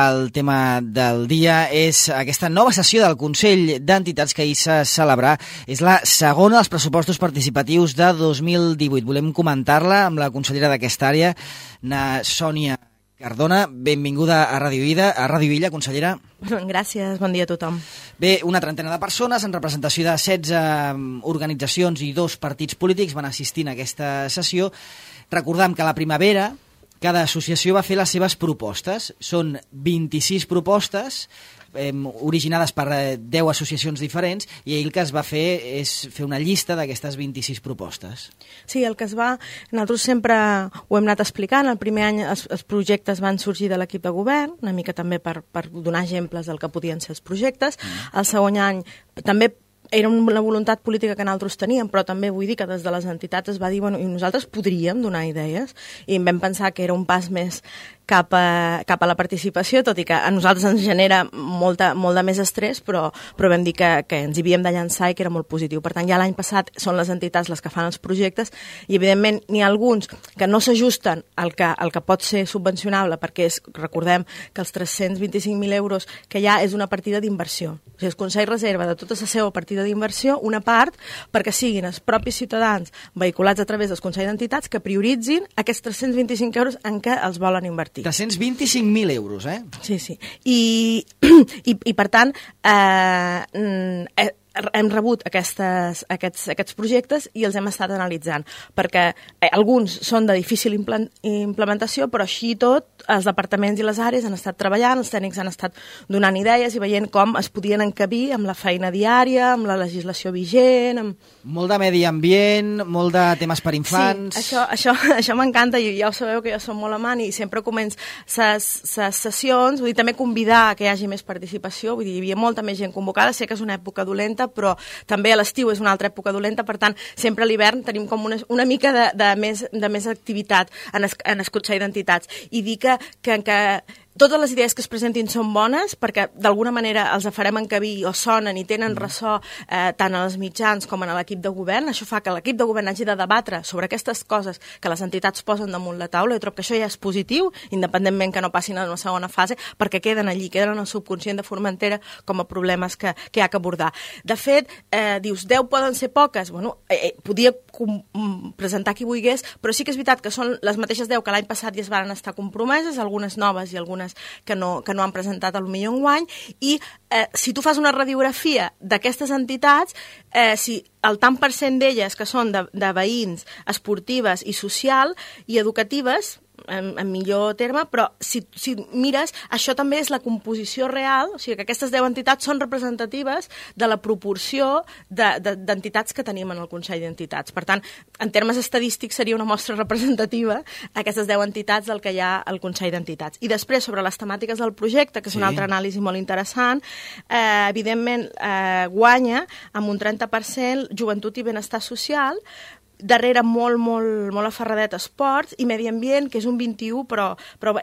el tema del dia és aquesta nova sessió del Consell d'Entitats que ahir s'ha celebrat. És la segona dels pressupostos participatius de 2018. Volem comentar-la amb la consellera d'aquesta àrea, na Sònia Cardona. Benvinguda a Ràdio Illa, consellera. Gràcies, bon dia a tothom. Bé, una trentena de persones en representació de 16 organitzacions i 2 partits polítics van assistir a aquesta sessió. Recordem que a la primavera cada associació va fer les seves propostes. Són 26 propostes originades per 10 associacions diferents i el que es va fer és fer una llista d'aquestes 26 propostes. Sí, el que es va... Nosaltres sempre ho hem anat explicant. El primer any els projectes van sorgir de l'equip de govern, una mica també per donar exemples del que podien ser els projectes. El segon any també era una voluntat política que nosaltres teníem, però també vull dir que des de les entitats es va dir, bueno, i nosaltres podríem donar idees, i vam pensar que era un pas més cap a la participació, tot i que a nosaltres ens genera molt de més estrès, però vam dir que ens hi havíem de llançar i que era molt positiu. Per tant, ja l'any passat són les entitats les que fan els projectes i, evidentment, n'hi ha alguns que no s'ajusten al que pot ser subvencionable, perquè recordem que els 325.000 euros que hi ha és una partida d'inversió. O sigui, el Consell reserva de tota la seva partida d'inversió una part perquè siguin els propis ciutadans vehiculats a través del Consell d'Entitats que prioritzin aquests 325 euros en què els volen invertir. 325.000 euros, eh? Sí, sí. I per tant, hem rebut aquests projectes i els hem estat analitzant, perquè alguns són de difícil implementació, però així i tot els departaments i les àrees han estat treballant, els tècnics han estat donant idees i veient com es podien encabir amb la feina diària, amb la legislació vigent... Molt de medi ambient, molt de temes per infants... Sí, això m'encanta, i ja ho sabeu que jo som molt amant i sempre començo les sessions, vull dir, també convidar que hi hagi més participació, vull dir, hi havia molta més gent convocada, sé que és una època dolenta, però també a l'estiu és una altra època dolenta, per tant, sempre a l'hivern tenim com una mica de més activitat en el Consell d'Entitats. I dir que totes les idees que es presentin són bones perquè d'alguna manera els farem encabir o sonen i tenen ressò tant als mitjans com a l'equip de govern. Això fa que l'equip de govern hagi de debatre sobre aquestes coses que les entitats posen damunt la taula. Jo trobo que això ja és positiu, independentment que no passin a una segona fase, perquè queden allí, queden en el subconscient de Formentera com a problemes que hi ha que abordar. De fet, dius, 10 poden ser poques. Bueno, podia presentar qui volgués, però sí que és veritat que són les mateixes 10 que l'any passat ja es van estar compromeses, algunes noves i algunes que no han presentat potser enguany, i si tu fas una radiografia d'aquestes entitats, si el tant per cent d'elles que són de veïns, esportives i social i educatives, en millor terme, però si mires, això també és la composició real, o sigui que aquestes 10 entitats són representatives de la proporció d'entitats que tenim en el Consell d'Entitats. Per tant, en termes estadístics seria una mostra representativa aquestes 10 entitats del que hi ha al Consell d'Entitats. I després, sobre les temàtiques del projecte, que és una altra anàlisi molt interessant, evidentment guanya amb un 30% joventut i benestar social, darrere molt aferradet esports i medi ambient, que és un 21, però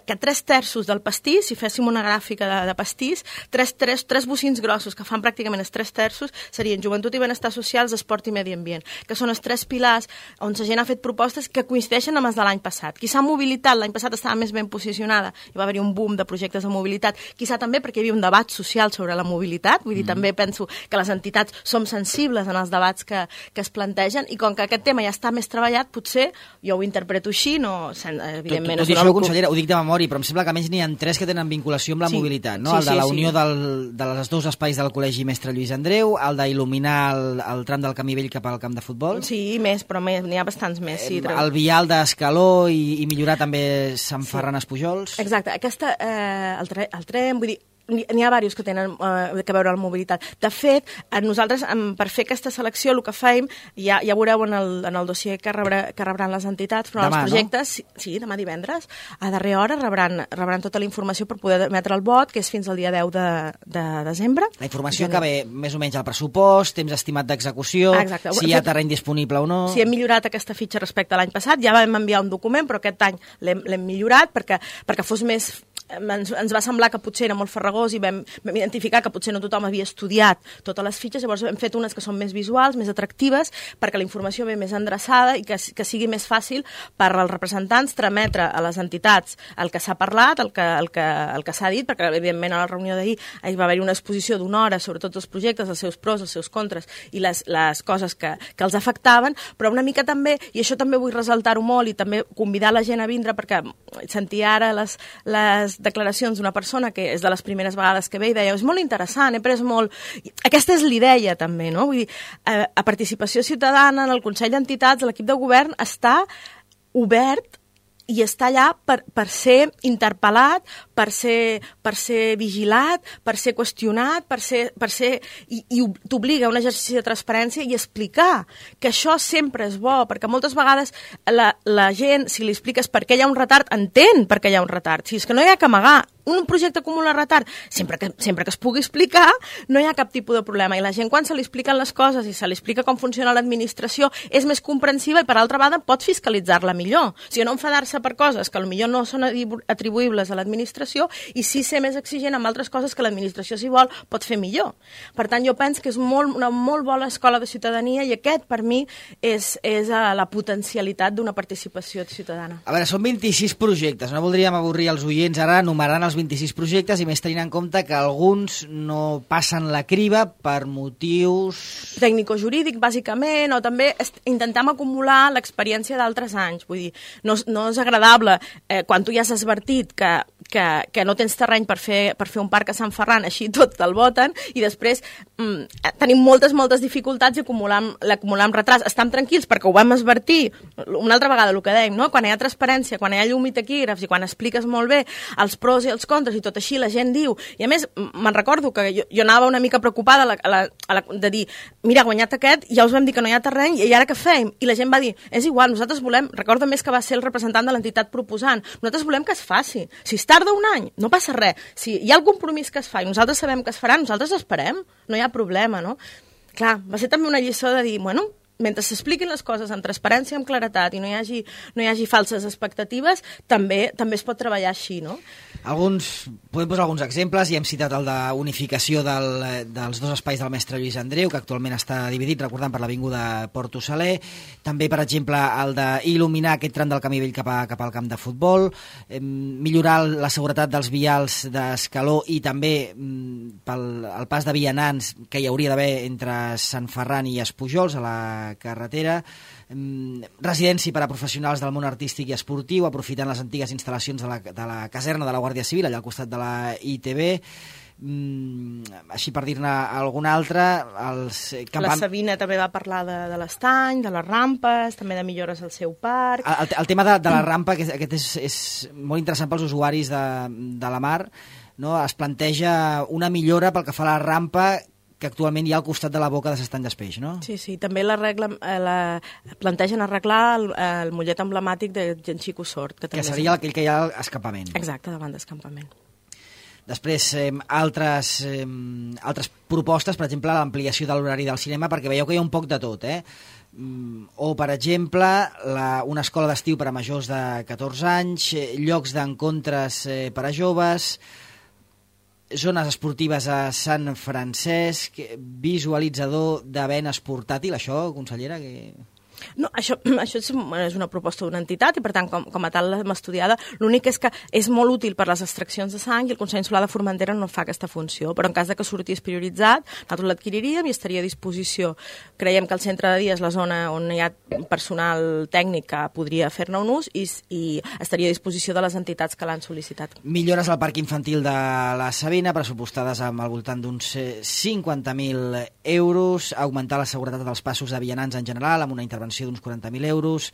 que 3/3 del pastís, si féssim una gràfica de pastís, 3 bocins grossos que fan pràcticament els 3/3 serien joventut i benestar socials, esport i medi ambient, que són els 3 pilars on la gent ha fet propostes que coincideixen amb els de l'any passat. Quizà mobilitat, l'any passat estava més ben posicionada, hi va haver un boom de projectes de mobilitat, quizà també perquè hi havia un debat social sobre la mobilitat, vull dir, també penso que les entitats som sensibles en els debats que es plantegen, i com que aquest tema ja està més treballat, potser, jo ho interpreto així, no, evidentment... Tot i això, consellera, ho dic de memòria, però em sembla que almenys n'hi ha 3 que tenen vinculació amb la mobilitat, no? El de la unió dels 2 espais del Col·legi Mestre Lluís Andreu, el d'il·luminar el tram del camí vell cap al camp de futbol... Sí, més, però n'hi ha bastants més, sí. El vial d'Escaló i millorar també Sant Ferran Espujols... Exacte, el tren, vull dir, n'hi ha diversos que tenen que veure amb la mobilitat. De fet, nosaltres, per fer aquesta selecció, el que fem, ja veureu en el dossier que rebran les entitats, però els projectes, sí, demà divendres, a darrera hora rebran tota la informació per poder emetre el vot, que és fins al dia 10 de desembre. La informació que ve més o menys al pressupost, temps estimat d'execució, si hi ha terreny disponible o no... Si hem millorat aquesta fitxa respecte a l'any passat, ja vam enviar un document, però aquest any l'hem millorat perquè fos més ens va semblar que potser era molt farragós i vam identificar que potser no tothom havia estudiat totes les fitxes, llavors hem fet unes que són més visuals, més atractives, perquè la informació ve més endreçada i que sigui més fàcil per als representants trametre a les entitats el que s'ha parlat, el que s'ha dit, perquè evidentment a la reunió d'ahir hi va haver una exposició d'una hora sobre tots els projectes, els seus pros, els seus contres i les coses que els afectaven, però una mica també, i això també vull ressaltar-ho molt i també convidar la gent a vindre, perquè sentia ara les declaracions d'una persona que és de les primeres vegades que ve i deia, és molt interessant, he pres molt... Aquesta és l'idea també, no? Vull dir, a participació ciutadana en el Consell d'Entitats, l'equip de govern està obert i està allà per ser interpel·lat, per ser vigilat, per ser qüestionat, i t'obliga a un exercici de transparència i explicar que això sempre és bo, perquè moltes vegades la gent, si li expliques per què hi ha un retard, entén per què hi ha un retard. Si és que no hi ha que amagar, un projecte acumula retard, sempre que es pugui explicar, no hi ha cap tipus de problema. I la gent, quan se li expliquen les coses i se li explica com funciona l'administració, és més comprensiva i, per altra banda, pot fiscalitzar-la millor. O sigui, no enfadar-se per coses que potser no són atribuïbles a l'administració i sí ser més exigent amb altres coses que l'administració, si vol, pot fer millor. Per tant, jo penso que és una molt bona escola de ciutadania i aquest, per mi, és la potencialitat d'una participació ciutadana. A veure, són 26 projectes. No voldríem avorrir els oients ara enumerant els 26 projectes i més tenint en compte que alguns no passen la criba per motius... tècnico-jurídic, bàsicament, o també intentem acumular l'experiència d'altres anys. Vull dir, no és agradable quan tu ja has advertit que no tens terreny per fer un parc a Sant Ferran, així tot te'l voten, i després tenim moltes dificultats i l'acumulam retras. Estem tranquils perquè ho vam advertir una altra vegada, el que dèiem, no? Quan hi ha transparència, quan hi ha llum i taquígrafs i quan expliques molt bé els pros i els contres i tot així la gent diu, i a més me'n recordo que jo anava una mica preocupada de dir, mira, guanyat aquest, ja us vam dir que no hi ha terreny i ara què fem? I la gent va dir, és igual, nosaltres volem, recordo més que va ser el representant de l'entitat proposant, nosaltres volem que es faci. Si es tarda un any, no passa res. Si hi ha el compromís que es fa i nosaltres sabem que es farà, nosaltres esperem, no hi ha problema, no? Clar, va ser també una lliçó de dir, bueno, mentre s'expliquin les coses amb transparència, amb claretat i no hi hagi falses expectatives, també es pot treballar així, no? Podem posar alguns exemples, i hem citat el d'unificació dels dos espais del mestre Lluís Andreu, que actualment està dividit, recordant, per l'avinguda Porto Saler, també, per exemple, el d'il·luminar aquest tram del camí vell cap al camp de futbol, millorar la seguretat dels vials d'Escaló i també el pas de vianants que hi hauria d'haver entre Sant Ferran i Espujols a la carretera, residència per a professionals del món artístic i esportiu, aprofitant les antigues instal·lacions de la caserna de la Guàrdia Civil, allà al costat de la ITB, així per dir-ne alguna altra. La Sabina també va parlar de l'estany, de les rampes, també de millores al seu parc. El tema de la rampa, que aquest és molt interessant pels usuaris de la mar, no? Es planteja una millora pel que fa a la rampa que actualment hi ha al costat de la boca de l'estany d'Espeix, no? Sí, també plantegen arreglar el mollet emblemàtic de Genxico Sort. Que seria aquell que hi ha a l'escampament. Exacte, davant d'escampament. Després, altres propostes, per exemple, l'ampliació de l'horari del cinema, perquè veieu que hi ha un poc de tot, o, per exemple, una escola d'estiu per a majors de 14 anys, llocs d'encontres per a joves, zones esportives a Sant Francesc, visualitzador de venes portàtil, això, consellera, que... No, això és una proposta d'una entitat i, per tant, com a tal l'hem estudiada. L'únic és que és molt útil per les extraccions de sang i el Consell Insular de Formentera no fa aquesta funció, però en cas de que sortís prioritzat, nosaltres l'adquiriríem i estaria a disposició. Creiem que el centre de dia és la zona on hi ha personal tècnic que podria fer-ne un ús i estaria a disposició de les entitats que l'han sol·licitat. Millores al parc infantil de la Sabina, pressupostades al voltant d'uns 50.000 euros, augmentar la seguretat dels passos de vianants en general, amb una intervenció d'uns 40.000 euros,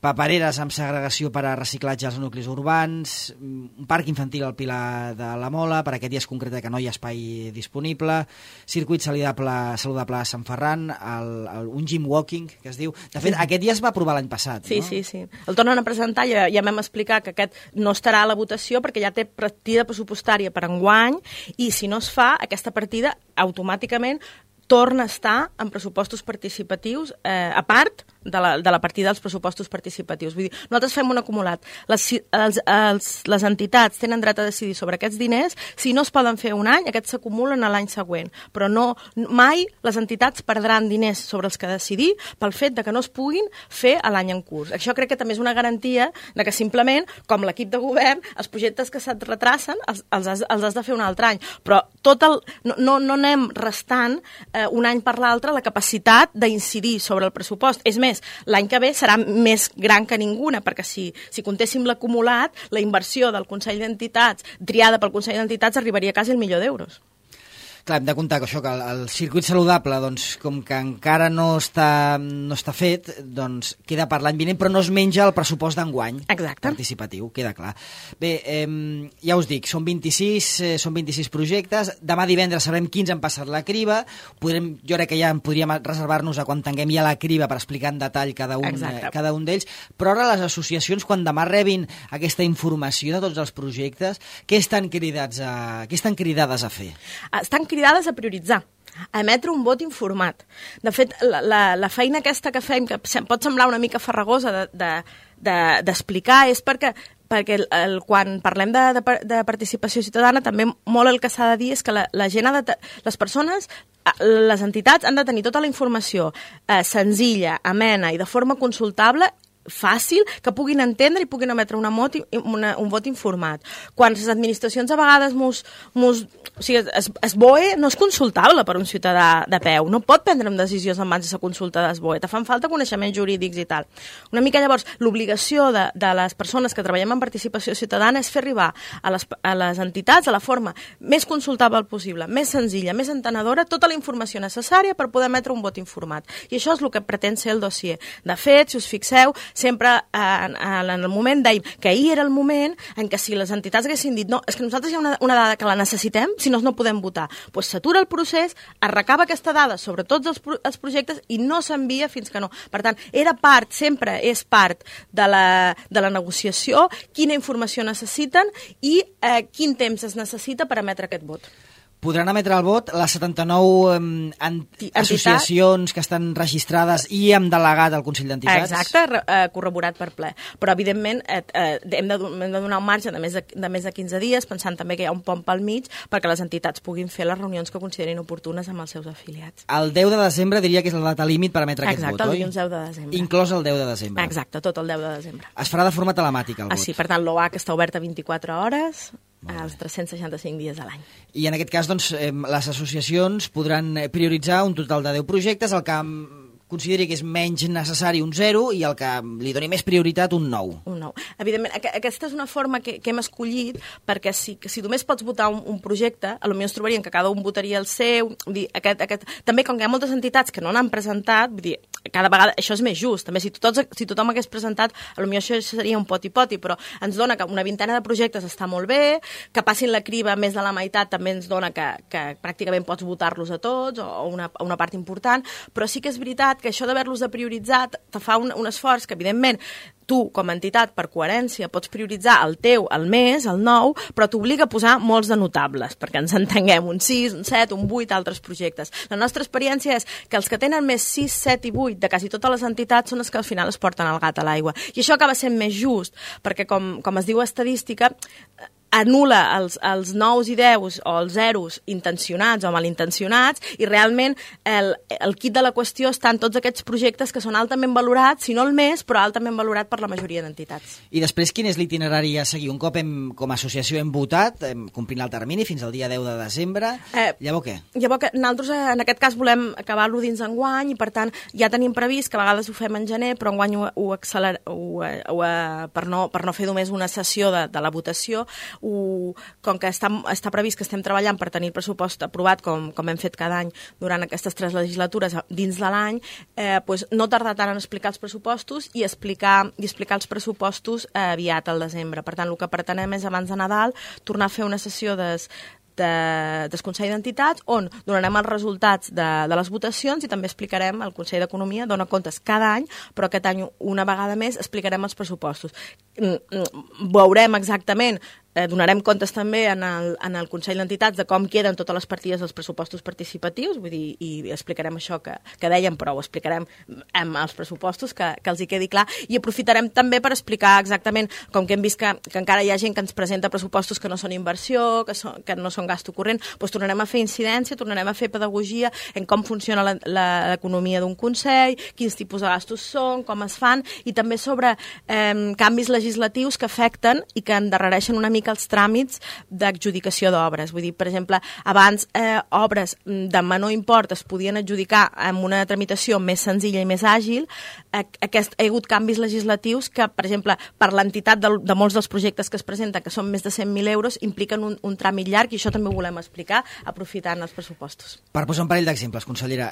papereres amb segregació per a reciclatge als nuclis urbans, un parc infantil al Pilar de la Mola, per aquest dia es concreta que no hi ha espai disponible, circuit saludable a Sant Ferran, un gym walking, que es diu. De fet, aquest dia es va aprovar l'any passat, sí, no? Sí. El tornen a presentar, ja vam explicar que aquest no estarà a la votació perquè ja té partida pressupostària per enguany i si no es fa, aquesta partida automàticament torna a estar en pressupostos participatius, a part de la partida dels pressupostos participatius. Vull dir, nosaltres fem un acumulat. Les entitats tenen dret a decidir sobre aquests diners. Si no es poden fer un any, aquests s'acumulen a l'any següent. Però mai les entitats perdran diners sobre els que decidir pel fet de que no es puguin fer a l'any en curs. Això crec que també és una garantia de que simplement, com l'equip de govern, els projectes que se't retracen els has de fer un altre any. Però no anem restant un any per l'altre la capacitat d'incidir sobre el pressupost. És més, l'any que ve serà més gran que ninguna, perquè si comptéssim l'acumulat, la inversió del Consell d'Entitats, triada pel Consell d'Entitats, arribaria quasi al €1.000.000. Clar, hem de comptar que això, que el circuit saludable, doncs, com que encara no està fet, doncs queda per l'any vinent, però no es menja el pressupost d'enguany participatiu, queda clar. Bé, ja us dic, són 26 projectes, demà divendres sabrem quins han passat la criba, jo crec que ja podríem reservar-nos a quan tinguem ja la criba per explicar en detall cada un d'ells, però ara les associacions, quan demà rebin aquesta informació de tots els projectes, què estan cridades a fer? Estan cridades a prioritzar, a emetre un vot informat. De fet, la feina aquesta que fem, que pot semblar una mica farragosa d'explicar, és perquè quan parlem de participació ciutadana, també molt el que s'ha de dir és que la gent les persones, les entitats han de tenir tota la informació senzilla, amena i de forma consultable, fàcil, que puguin entendre i puguin emetre un vot informat. Quan les administracions a vegades SBOE no és consultable per un ciutadà de peu, no pot prendre decisions en mans de la consulta d'SBOE, te fan falta coneixements jurídics i tal. Una mica llavors, l'obligació de les persones que treballem en participació ciutadana és fer arribar a les entitats de la forma més consultable possible, més senzilla, més entenedora, tota la informació necessària per poder emetre un vot informat. I això és el que pretén ser el dossier. De fet, si us fixeu, sempre en el moment dèiem que ahir era el moment en què si les entitats haguessin dit no, és que nosaltres hi ha una dada que la necessitem, si no podem votar. Doncs s'atura el procés, es recaba aquesta dada sobre tots els projectes i no s'envia fins que no. Per tant, sempre és part de la negociació quina informació necessiten i quin temps es necessita per emetre aquest vot. Podran emetre el vot les 79 associacions que estan registrades i amb delegat al Consell d'Entitats? Exacte, corroborat per ple. Però, evidentment, hem de donar un marge de més de 15 dies, pensant també que hi ha un pont pel mig, perquè les entitats puguin fer les reunions que considerin oportunes amb els seus afiliats. El 10 de desembre diria que és la data límit per emetre aquest vot, oi? Exacte, el dilluns 10 de desembre. Inclòs el 10 de desembre. Exacte, tot el 10 de desembre. Es farà de forma telemàtica, el vot? Sí, per tant, l'OAC està oberta 24 hores, als 365 dies de l'any. I en aquest cas, doncs, les associacions podran prioritzar un total de 10 projectes, el que consideri que és menys necessari un 0 i el que li doni més prioritat un 9. Un 9. Evidentment, aquesta és una forma que hem escollit perquè si només pots votar un projecte, potser ens trobaríem que cada un votaria el seu. Vull dir, també, com que hi ha moltes entitats que no n'han presentat, vull dir, cada vegada això és més just. També si tothom hagués presentat, potser això seria un poti-poti, però ens dona que una vintena de projectes està molt bé, que passin la criba més de la meitat també ens dona que pràcticament pots votar-los a tots o una part important, però sí que és veritat que això d'haver-los de prioritzar te fa un esforç que, evidentment, tu, com a entitat, per coherència, pots prioritzar el teu, el més, el 9, però t'obliga a posar molts de notables, perquè ens entenguem, un 6, un 7, un 8, altres projectes. La nostra experiència és que els que tenen més 6, 7 i 8 de quasi totes les entitats són els que al final es porten el gat a l'aigua. I això acaba sent més just, perquè, com es diu a estadística, anul·la els 9 i 10 o els 0 intencionats o malintencionats i realment el quid de la qüestió està en tots aquests projectes que són altament valorats, si no el més, però altament valorat per la majoria d'entitats. I després, quin és l'itinerari a seguir? Un cop com a associació hem votat, complint el termini fins al dia 10 de desembre, llavors què? Llavors que nosaltres en aquest cas volem acabar-lo dins enguany i per tant ja tenim previst que a vegades ho fem en gener, però enguany per no fer només una sessió de la votació, com que està previst que estem treballant per tenir el pressupost aprovat com hem fet cada any durant aquestes 3 legislatures dins de l'any, no tardar tant en explicar els pressupostos i explicar els pressupostos aviat al desembre. Per tant, el que pretenem és abans de Nadal tornar a fer una sessió del Consell d'Entitats on donarem els resultats de les votacions i també explicarem, el Consell d'Economia dona comptes cada any, però aquest any una vegada més explicarem els pressupostos. Veurem exactament donarem comptes també en el Consell d'Entitats de com queden totes les partides dels pressupostos participatius, vull dir, i explicarem això que dèiem, però ho explicarem amb els pressupostos, que els hi quedi clar, i aprofitarem també per explicar exactament, com que hem vist que encara hi ha gent que ens presenta pressupostos que no són inversió, que no són gasto corrent, doncs tornarem a fer incidència, tornarem a fer pedagogia en com funciona l'economia d'un Consell, quins tipus de gastos són, com es fan, i també sobre canvis legislatius que afecten i que endarrereixen una mica els tràmits d'adjudicació d'obres. Vull dir, per exemple, abans obres de menor import es podien adjudicar amb una tramitació més senzilla i més àgil. Hi ha hagut canvis legislatius que, per exemple, per l'entitat de molts dels projectes que es presenten, que són més de 100.000 euros, impliquen un tràmit llarg, i això també ho volem explicar aprofitant els pressupostos. Per posar un parell d'exemples, consellera,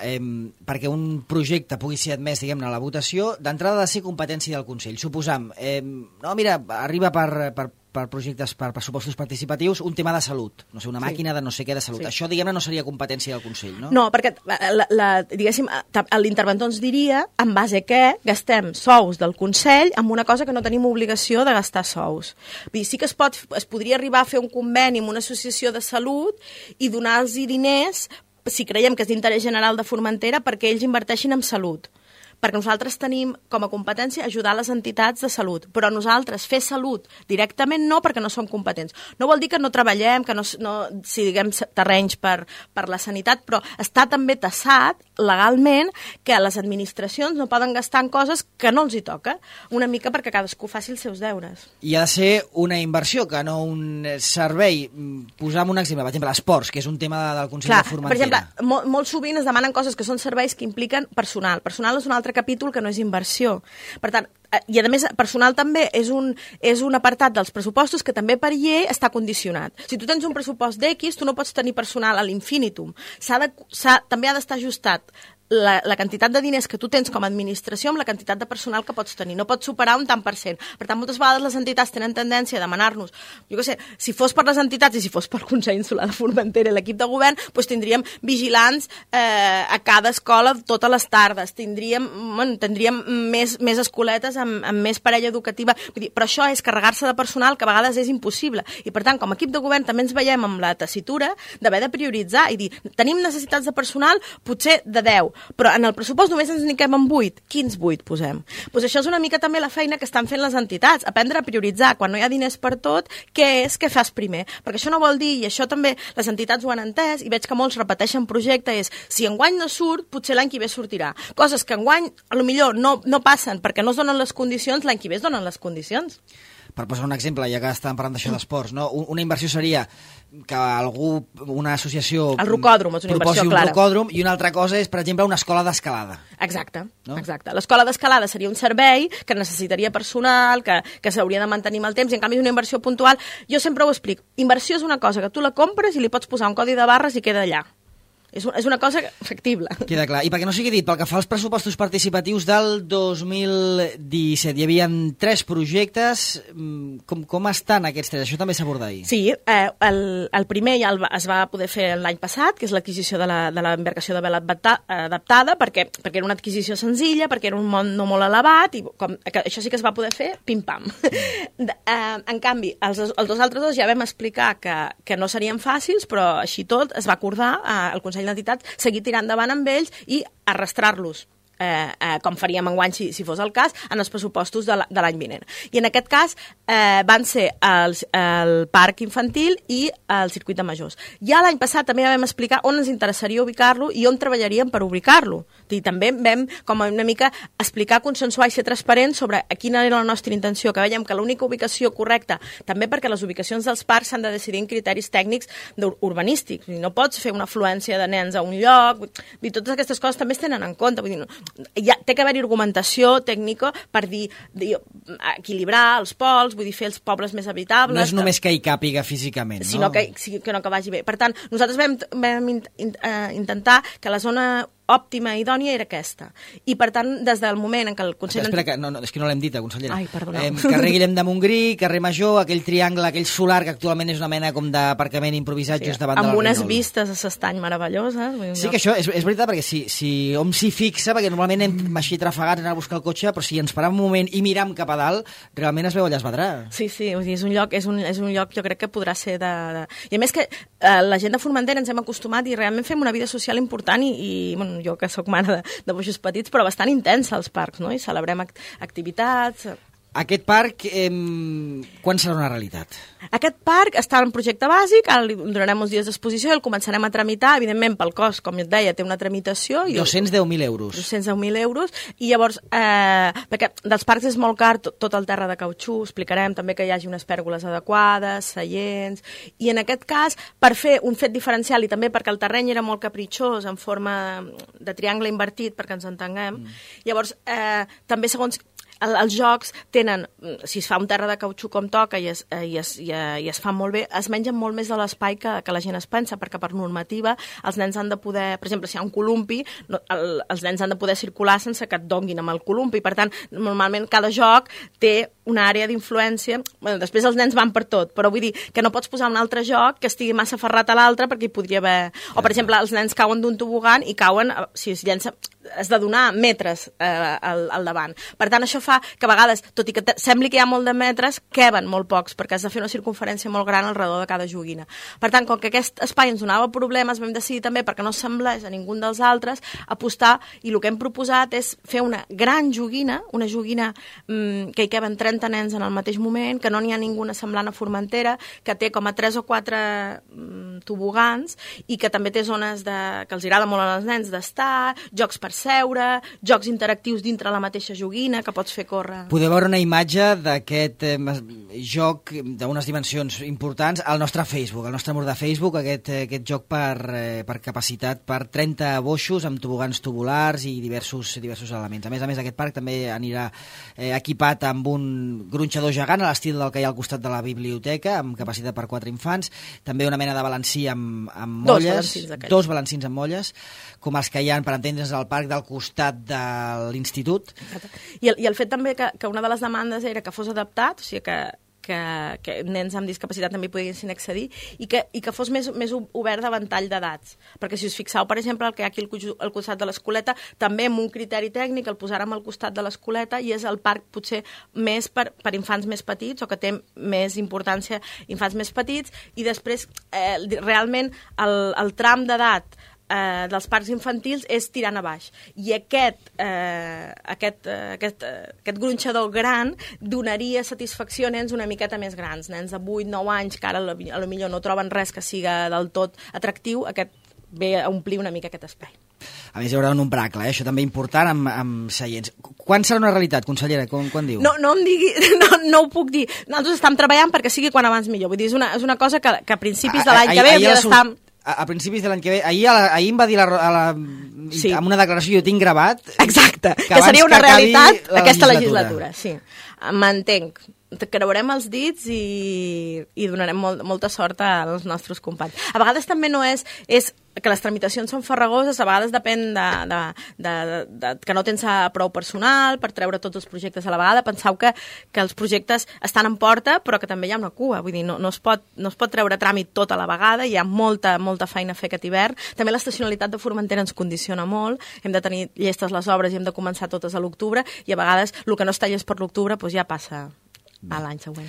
perquè un projecte pugui ser admès, diguem-ne, a la votació, d'entrada ha de ser competència del Consell. Suposam, no, mira, arriba per projectes, per pressupostos participatius, un tema de salut, no sé, una màquina de no sé què de salut. Això, diguem-ne, no seria competència del Consell, no? No, perquè, diguéssim, l'interventor ens diria en base a què gastem sous del Consell amb una cosa que no tenim obligació de gastar sous. Vull dir, sí que es podria arribar a fer un conveni amb una associació de salut i donar-los diners, si creiem que és d'interès general de Formentera, perquè ells inverteixin en salut. Perquè nosaltres tenim com a competència ajudar les entitats de salut, però nosaltres fer salut directament no, perquè no som competents. No vol dir que no treballem, que no siguem terrenys per la sanitat, però està també tassat legalment que les administracions no poden gastar en coses que no els hi toca, una mica perquè cadascú faci els seus deures. I ha de ser una inversió, que no un servei. Posam un exemple, per exemple, esports, que és un tema del Consell de Formentera. Per exemple, molt sovint es demanen coses que són serveis que impliquen personal. Personal és un altre capítol que no és inversió. Per tant, i a més, personal també és un apartat dels pressupostos que també per llei està condicionat. Si tu tens un pressupost d'X, tu no pots tenir personal a l'infinitum. També ha d'estar ajustat la quantitat de diners que tu tens com a administració amb la quantitat de personal que pots tenir. No pots superar un tant per cent. Per tant, moltes vegades les entitats tenen tendència a demanar-nos, jo què sé, si fos per les entitats i si fos pel Consell Insular de Formentera i l'equip de govern, doncs tindríem vigilants a cada escola totes les tardes, tindríem més escoletes amb més parella educativa. Vull dir, però això és carregar-se de personal que a vegades és impossible. I per tant, com a equip de govern també ens veiem amb la tessitura d'haver de prioritzar i dir, tenim necessitats de personal potser de 10, però en el pressupost només ens n'hi quedem amb 8. Quins 8 posem? Doncs això és una mica també la feina que estan fent les entitats, aprendre a prioritzar. Quan no hi ha diners per tot, què fas primer? Perquè això no vol dir, i això també les entitats ho han entès, i veig que molts repeteixen projecte, és si enguany no surt, potser l'any que ve sortirà. Coses que enguany, potser no passen perquè no es donen les condicions, l'any que ve es donen les condicions. Per posar un exemple, ja que estàvem parlant d'això d'esports, no? Una inversió seria que una associació el rocòdrom és una inversió clara. Un rocòdrom, i una altra cosa és, per exemple, una escola d'escalada. Exacte, no? Exacte. L'escola d'escalada seria un servei que necessitaria personal, que s'hauria de mantenir amb el temps, i en canvi és una inversió puntual. Jo sempre ho explico. Inversió és una cosa que tu la compres i li pots posar un codi de barres i queda allà. És una cosa factible. Queda clar. I perquè no sigui dit, pel que fa als pressupostos participatius del 2017, hi havia 3 projectes. Com estan aquests 3? Això també s'aborda ahir. Sí, el primer ja es va poder fer l'any passat, que és l'adquisició de l'embarcació de vela adaptada, perquè era una adquisició senzilla, perquè era un món no molt elevat, i això sí que es va poder fer pim-pam. En canvi, els dos altres dos ja vam explicar que no serien fàcils, però així tot es va acordar al Consell d'Entitats seguir tirant endavant amb ells i arrastrar-los, com faríem enguany si fos el cas, en els pressupostos de l'any vinent. I en aquest cas van ser el parc infantil i el circuit de majors. Ja l'any passat també vam explicar on ens interessaria ubicar-lo i on treballaríem per ubicar-lo. I també vam com una mica explicar, consensuar i ser transparents sobre quina era la nostra intenció, que veiem que l'única ubicació correcta, també perquè les ubicacions dels parcs s'han de decidir en criteris tècnics urbanístics. No pots fer una afluència de nens a un lloc, totes aquestes coses també es tenen en compte. Vull dir, té que haver-hi argumentació tècnica per dir equilibrar els pols, vull dir, fer els pobles més habitables. No és només que hi càpiga físicament, no? Sinó que vagi bé. Per tant, nosaltres vam intentar que la zona òptima i idònia era aquesta. I, per tant, des del moment en què el Consell... Espera, que és que no l'hem dit, consellera. Ai, perdoneu. Carrer Guillem de Montgrí, carrer Major, aquell triangle, aquell solar, que actualment és una mena com d'aparcament improvisat just davant de la amb unes Reinol. vistes a s'estany meravelloses. Sí, que això és veritat, perquè si hom s'hi fixa, perquè normalment anem així trafegats anar a buscar el cotxe, però si ens param un moment i miram cap a dalt, realment es veu allà es vedrà. Sí, vull dir, és un lloc jo crec que podrà ser I a més que la gent de Formentera ens hem acostumat i realment fem una vida social important i bueno, jo que sóc mare de boixos petits, però bastant intensa als parcs, no? I celebrem activitats... Aquest parc, quan serà una realitat? Aquest parc està en projecte bàsic, ara li donarem uns dies d'exposició i el començarem a tramitar, evidentment pel cost, com et deia, té una tramitació... 210.000 euros. 210.000 euros, i llavors, perquè dels parcs és molt car tot el terra de cautxú, explicarem també que hi hagi unes pèrgoles adequades, seients, i en aquest cas, per fer un fet diferencial i també perquè el terreny era molt capritxós, en forma de triangle invertit, perquè ens entenguem, llavors, també segons... Els jocs tenen, si es fa un terra de cautxú com toca i es fa molt bé, es mengen molt més de l'espai que la gent es pensa, perquè per normativa els nens han de poder, per exemple, si hi ha un columpi, els nens han de poder circular sense que et donguin amb el columpi. Per tant, normalment cada joc té una àrea d'influència. Bueno, després els nens van per tot, però vull dir que no pots posar un altre joc que estigui massa aferrat a l'altre perquè hi podria haver... O, per exemple, els nens cauen d'un tobogan i cauen, si es llença, has de donar metres al davant. Per tant, això fa que a vegades, tot i que sembli que hi ha molt de metres, queben molt pocs, perquè has de fer una circunferència molt gran al redor de cada joguina. Per tant, com que aquest espai ens donava problemes, vam decidir també, perquè no semblés a ningú dels altres, apostar, i el que hem proposat és fer una gran joguina, una joguina que hi queben 30 nens en el mateix moment, que no n'hi ha ninguna semblant a Formentera, que té com a 3 o 4 tobogans, i que també té zones que els agrada molt als nens d'estar, jocs per seure, jocs interactius dintre la mateixa joguina, que pots fer córrer. Podeu veure una imatge d'aquest joc d'unes dimensions importants al nostre Facebook, al nostre mur de Facebook, aquest joc per capacitat per 30 boixos amb tobogans tubulars i diversos elements. A més, aquest parc també anirà equipat amb un gronxador gegant a l'estil del que hi ha al costat de la biblioteca, amb capacitat per 4 infants, també una mena de balancí amb molles, dos balancins amb molles, com els que hi ha, per entendre's, al parc del costat de l'institut. I el fet també que una de les demandes era que fos adaptat, o sigui que nens amb discapacitat també poguessin accedir i que fos més obert de ventall d'edats. Perquè si us fixeu, per exemple, el que hi ha aquí al costat de l'Escoleta, també amb un criteri tècnic el posàrem al costat de l'Escoleta i és el parc potser més per infants més petits o que té més importància infants més petits i després realment el tram d'edat dels parcs infantils és tirant a baix. I aquest gronxador gran donaria satisfacció a nens una miqueta més grans, nens de 8-9 anys que ara potser no troben res que siga del tot atractiu, aquest ve a omplir una mica aquest espai. A més, hi haurà un umbracle, això també important, amb seients. Quan serà una realitat, consellera? Quan diu? No em digui, no ho puc dir. Nosaltres estem treballant perquè sigui quan abans millor. Vull dir, és una cosa que a principis de l'any que ve hauria d'estar... A principis de l'any que ve, ahir em va dir amb una declaració, jo tinc gravat... Exacte, que seria una realitat aquesta legislatura. Sí, m'entenc. Creurem els dits i donarem molta sort als nostres companys. A vegades també no és que les tramitacions són farragoses, a vegades depèn que no tens prou personal per treure tots els projectes a la vegada. Penseu que els projectes estan en porta, però que també hi ha una cua. Vull dir, no es pot treure tràmit tot a la vegada, hi ha molta feina a fer aquest hivern. També l'estacionalitat de Formentera ens condiciona molt, hem de tenir llestes les obres i hem de començar totes a l'octubre, i a vegades el que no està llest per l'octubre ja passa a l'any següent.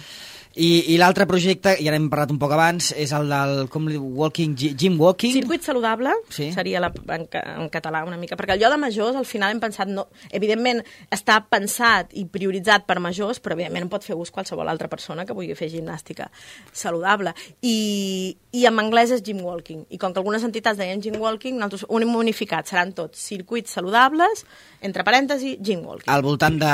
I l'altre projecte, ja n'hem parlat un poc abans, és el del gym walking. Circuit saludable, sí. Seria en català una mica, perquè el lloc de majors al final hem pensat, evidentment està pensat i prioritzat per majors, però evidentment en pot fer ús qualsevol altra persona que vulgui fer gimnàstica saludable. I en anglès és gym walking, i com que algunes entitats deien gym walking, nosaltres ho hem unificat, seran tots circuits saludables, entre parèntesi, gym walking. Al voltant de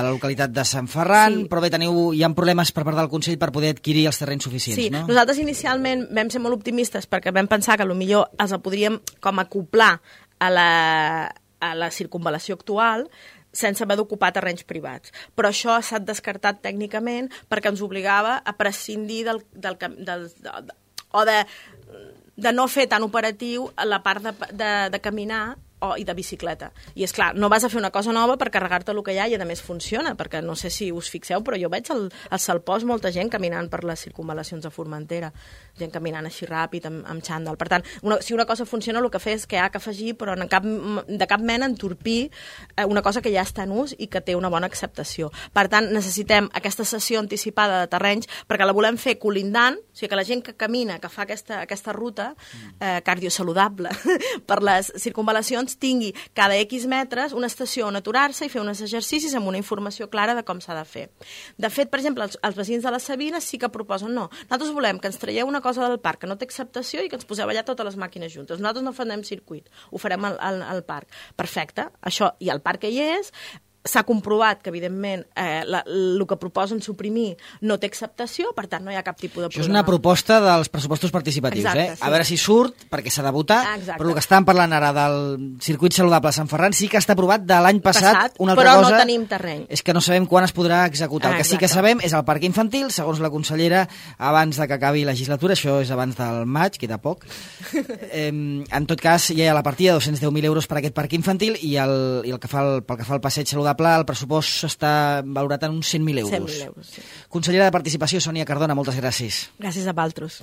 la localitat de Sant Ferran, sí. Però bé, hi ha problemes per part del Consell per poder adquirir els terrenys suficients, sí, no? Nosaltres inicialment vam ser molt optimistes perquè vam pensar que potser els podríem com acoplar a la circunvalació actual sense haver d'ocupar terrenys privats. Però això s'ha descartat tècnicament perquè ens obligava a prescindir de no fer tan operatiu la part de caminar i de bicicleta. I és clar, no vas a fer una cosa nova per carregar-te el que hi ha, i a més funciona, perquè no sé si us fixeu, però jo veig al Salpòs molta gent caminant per les circunvalacions de Formentera, gent caminant així ràpid, amb xandall. Per tant, si una cosa funciona, el que fa és que hi ha que afegir, però de cap mena entorpir una cosa que ja està en ús i que té una bona acceptació. Per tant, necessitem aquesta sessió anticipada de terrenys perquè la volem fer colindant, o sigui que la gent que camina, que fa aquesta ruta cardiosaludable per les circunvalacions, tingui cada X metres una estació on aturar-se i fer uns exercicis amb una informació clara de com s'ha de fer. De fet, per exemple, els veïns de les Sabines sí que proposen, no, nosaltres volem que ens traieu una cosa del parc que no té acceptació i que ens poseu allà totes les màquines juntes. Nosaltres no farem circuit, ho farem al parc. Perfecte, això, i el parc que hi és, s'ha comprovat que, evidentment, el que proposen suprimir no té acceptació, per tant, no hi ha cap tipus de problema. Això és una proposta dels pressupostos participatius, exacte, sí. A veure si surt, perquè s'ha de votar, però el que estàvem parlant ara del circuit saludable a Sant Ferran sí que està aprovat de l'any passat. Una altra però cosa no tenim terreny. És que no sabem quan es podrà executar. El que sí que sabem és el parc infantil, segons la consellera, abans de que acabi la legislatura, això és abans del maig, queda poc. En tot cas, hi ha la partida de 210.000 euros per aquest parc infantil i pel que fa al passeig saludable, el pressupost està valorat en uns 100.000 euros. 100.000 euros, sí. Consellera de Participació, Sònia Cardona, moltes gràcies. Gràcies a vosaltres.